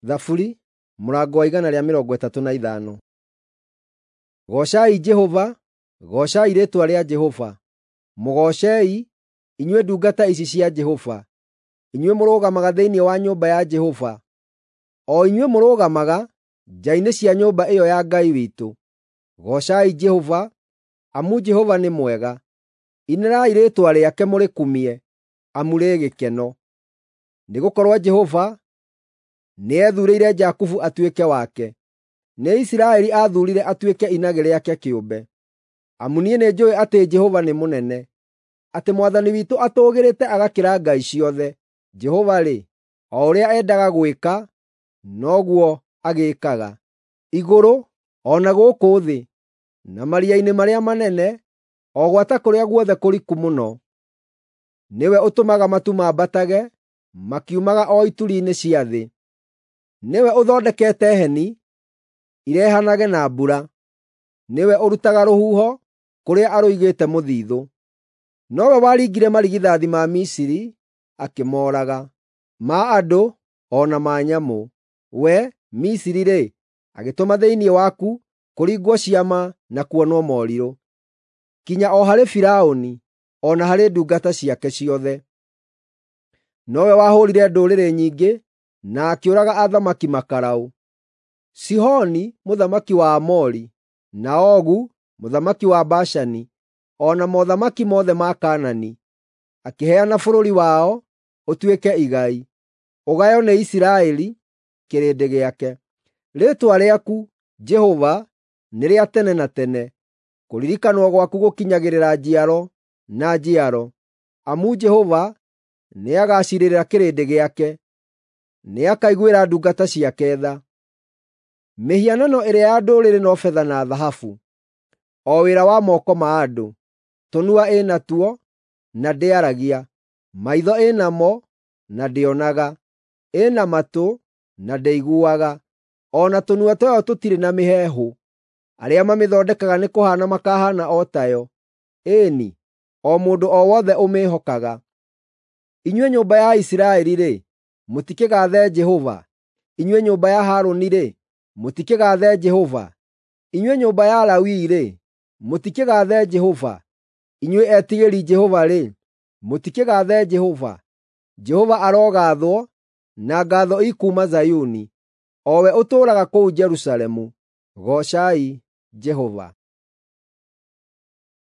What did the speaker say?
Thaburi mũrango wa 135. Goocai Jehova, goocai rĩĩtwa rĩa Jehova. Mũgoocei, inyuĩ ndungata ici cia Jehova, inyuĩ mũrũgamaga thĩinĩ wa nyũmba ya Jehova, o inyuĩ mũrũgamaga nja-inĩ cia nyũmba ĩyo ya Ngai witũ. Goocai Jehova, amu Jehova nĩ mwega. Inĩrai rĩĩtwa rĩake mũrĩkumie, amu rĩ gĩkeno. Nĩgũkorwo Jehova nĩethuurĩire Jakubu atuĩke wake, nĩ Isiraeli aathuurire atuĩke inagĩ rĩake kĩũmbe. Amu niĩ nĩnjũũĩ atĩ Jehova nĩ mũnene, atĩ Mwathani witũ atũũgĩrĩte agakĩra ngai ciothe. Jehova-rĩ, o ũrĩa endaga gwĩka, noguo agĩĩkaga, igũrũ o na gũkũ thĩ, na maria-inĩ marĩa manene, o gwata kũrĩa guothe kũriku mũno. Nĩwe ũtũmaga matu mambatage makiumaga o ituri-inĩ cia thĩ. Nĩwe ũthondekete heni irehanage na mbura. Nĩwe ũrutaga rũhuho kũrĩa arũigĩte mũthithũ. Nowe waringire marigithathi ma Misiri akĩmooraga, ma andũ o na ma nyamũ. We, Misiri-rĩ, agĩtũma thĩinĩ waku kũringwo ciama na kuonwo morirũ, kinya o harĩ Firaũni o na harĩ ndungata ciake ciothe. Nowe wahũũrire ndũrĩrĩ nyingĩ na akĩũraga athamaki makaraũ: Sihoni mũthamaki wa Aamori, na Ogu mũthamaki wa Bashani, o na mothamaki mothe ma Kaanani. Akĩheana bũrũri wao ũtuĩke igai, ũgaywo nĩ Isiraeli kĩrĩndĩ gĩake. Rĩĩtwa rĩaku, Jehova, nĩ rĩa tene na tene, kũririkanwo gwaku gũkinyagĩrĩra njiaro na njiaro. Amu Jehova nĩagaciirĩra kĩrĩndĩ gĩake, nĩakaiguĩra ndungata ciake tha. Mĩhianano ĩrĩa ya ndũrĩrĩ no betha na thahabu, o wĩra wa moko ma andũ. Tũnua ĩ natuo, na ndĩaragia; maitho ĩ namo, na ndĩonaga; ĩ na matũ, na ndĩiguaga; o na tũnua twayo tũtirĩ na mĩheehũ. Arĩa mamĩthondekaga nĩkũhaana makahaana o tayo, ĩĩ-ni, o mũndũ o wothe ũmĩĩhokaga. Inyuĩ nyũmba ya Isiraeli-rĩ, mũtikĩgaathe Jehova; inyuĩ nyũmba ya Harũni-rĩ, mũtikĩgaathe Jehova; inyuĩ nyũmba ya Lawi-rĩ, mũtikĩgaathe Jehova; inyuĩ etigĩri Jehova-rĩ, mũtikĩgaathe Jehova. Jehova arogaathwo, na ngaatho ikuuma Zayuni, o we ũtũũraga kũu Jerusalemu. Goocai Jehova.